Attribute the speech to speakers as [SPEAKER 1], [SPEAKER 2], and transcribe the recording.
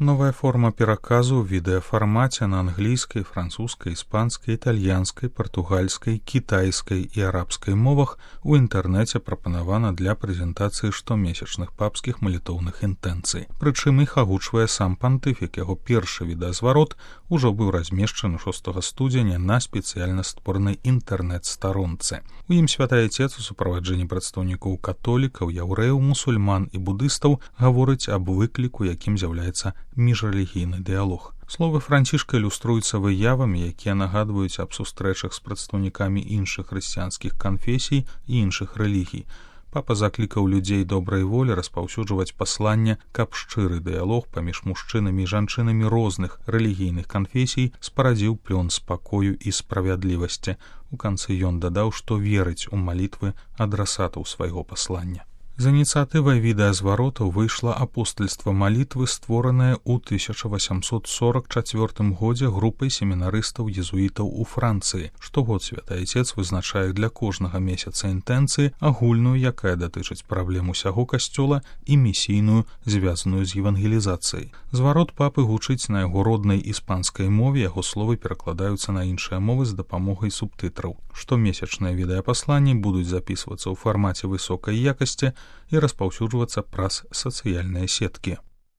[SPEAKER 1] Новая форма пераказу ў відэафармаце на англійскай, французскай, іспанскай, італьянскай, партугальскай, кітайскай і арабскай мовах у інтэрнэце прапанавана для прэзентацыі штомесячных папскіх малітоўных інтэнцый. Прычым іх агучвае сам пантыфік, яго першы відэазварот ужо быў размешчаны 6 студзеня на спецыяльна створанай інтэрнэт-старонцы. У ім святы Айцец у суправаджэнні прадстаўнікоў католікаў, яўрэяў, мусульман і будыстаў гаворыць аб выкліку, якім з'яўляецца міжрэлігійны дыялог. Словы Францішка ілюструюцца выявамі, якія нагадваюць аб сустрэчах з прадстаўнікамі іншых хрысціянскіх канфесій і іншых рэлігій. Папа заклікаў людзей добрай волі распаўсюджваць пасланне, каб шчыры дыялог паміж мужчынамі і жанчынамі розных рэлігійных канфесій спарадзіў плён спакою і справядлівасці. У канцы ён дадаў, што верыць у малітвы адрасатаў свайго паслання. З ініцыятывай відэазваротаў выйшла апостальства малітвы, створаная ў 1844 годзе групай семінарыстаў-езуітаў у Францыі. Штогод святы Айцец вызначае для кожнага месяца інтэнцыі агульную, якая датычыць праблем усяго касцёла, і місійную, звязаную з евангелізацыяй. Зварот папы гучыць на яго роднай іспанскай мове, яго словы перакладаюцца на іншыя мовы з дапамогай субтытраў. Штомесячныя відэапасланні будуць запісвацца ў фармаце высокай якасці і распаўсюджвацца праз сацыяльныя сеткі.